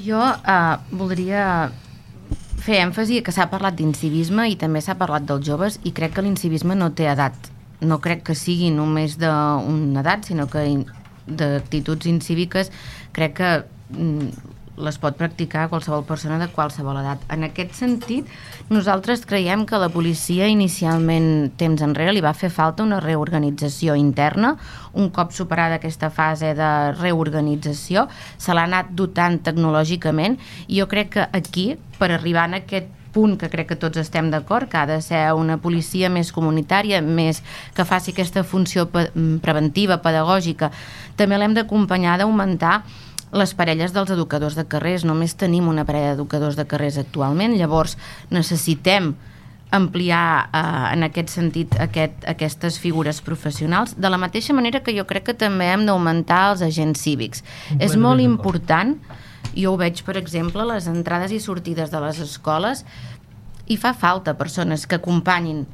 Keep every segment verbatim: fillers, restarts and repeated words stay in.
Jo eh, voldria fer èmfasi que s'ha parlat d'incivisme i també s'ha parlat dels joves, i crec que l'incivisme no té edat. No crec que sigui només d'una edat, sinó que d'actituds incíviques crec que les pot practicar qualsevol persona de qualsevol edat. En aquest sentit, nosaltres creiem que a la policia inicialment, temps enrere, li va fer falta una reorganització interna. Un cop superada aquesta fase de reorganització, se l'ha anat dotant tecnològicament, i jo crec que aquí, per arribar en aquest punt que crec que tots estem d'acord, que ha de ser una policia més comunitària, més que faci aquesta funció preventiva, pedagògica, també l'hem d'acompanyar d'augmentar les parelles dels educadors de carrers. Només tenim una parella d'educadors de carrers actualment, llavors necessitem ampliar eh, en aquest sentit aquest, aquestes figures professionals, de la mateixa manera que jo crec que també hem d'augmentar els agents cívics. És molt important, jo ho veig per exemple a les entrades i sortides de les escoles, i fa falta persones que acompanyin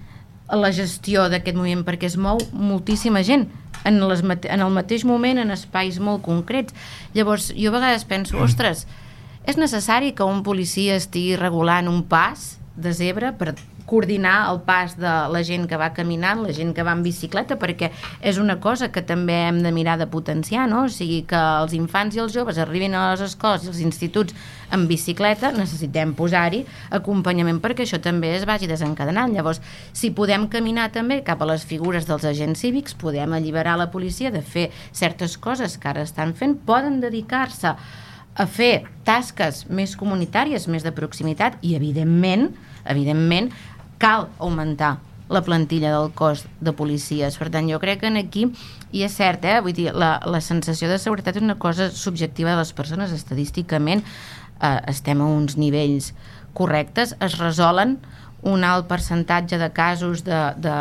la gestió d'aquest moviment, perquè es mou moltíssima gent en, les, en el mateix moment, en espais molt concrets. Llavors jo a vegades penso, ostres, és necessari que un policia estigui regulant un pas de zebra per coordinar el pas de la gent que va caminant, la gent que va en bicicleta, perquè és una cosa que també hem de mirar de potenciar, no? O sigui, que els infants i els joves arribin a les escoles i als instituts en bicicleta, necessitem posar-hi acompanyament perquè això també es vagi desencadenant. Llavors, si podem caminar també cap a les figures dels agents cívics, podem alliberar la policia de fer certes coses que ara estan fent, poden dedicar-se a fer tasques més comunitàries, més de proximitat, i evidentment, evidentment, cal augmentar la plantilla del cos de policies. Per tant, jo crec que aquí, i és cert, eh? Vull dir, la, la sensació de seguretat és una cosa subjectiva de les persones. Estadísticament eh, estem a uns nivells correctes, es resolen un alt percentatge de casos de, de,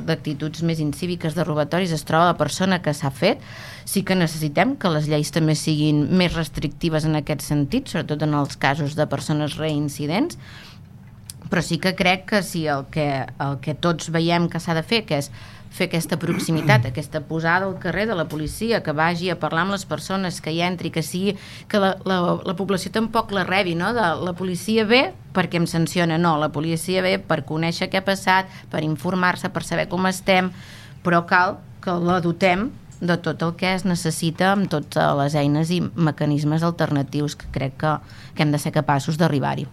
d'actituds més incíviques, de robatoris, es troba la persona que s'ha fet. Sí que necessitem que les lleis també siguin més restrictives en aquest sentit, sobretot en els casos de persones reincidents, però sí que crec que si el que, el que tots veiem que s'ha de fer, que és fer aquesta proximitat, aquesta posada al carrer de la policia, que vagi a parlar amb les persones, que hi entri, que sigui, que la, la, la població tampoc la rebi, no? De la policia ve perquè em sanciona, no, la policia ve per conèixer què ha passat, per informar-se, per saber com estem, però cal que la dotem de tot el que es necessita amb totes les eines i mecanismes alternatius que crec que, que hem de ser capaços d'arribar-hi.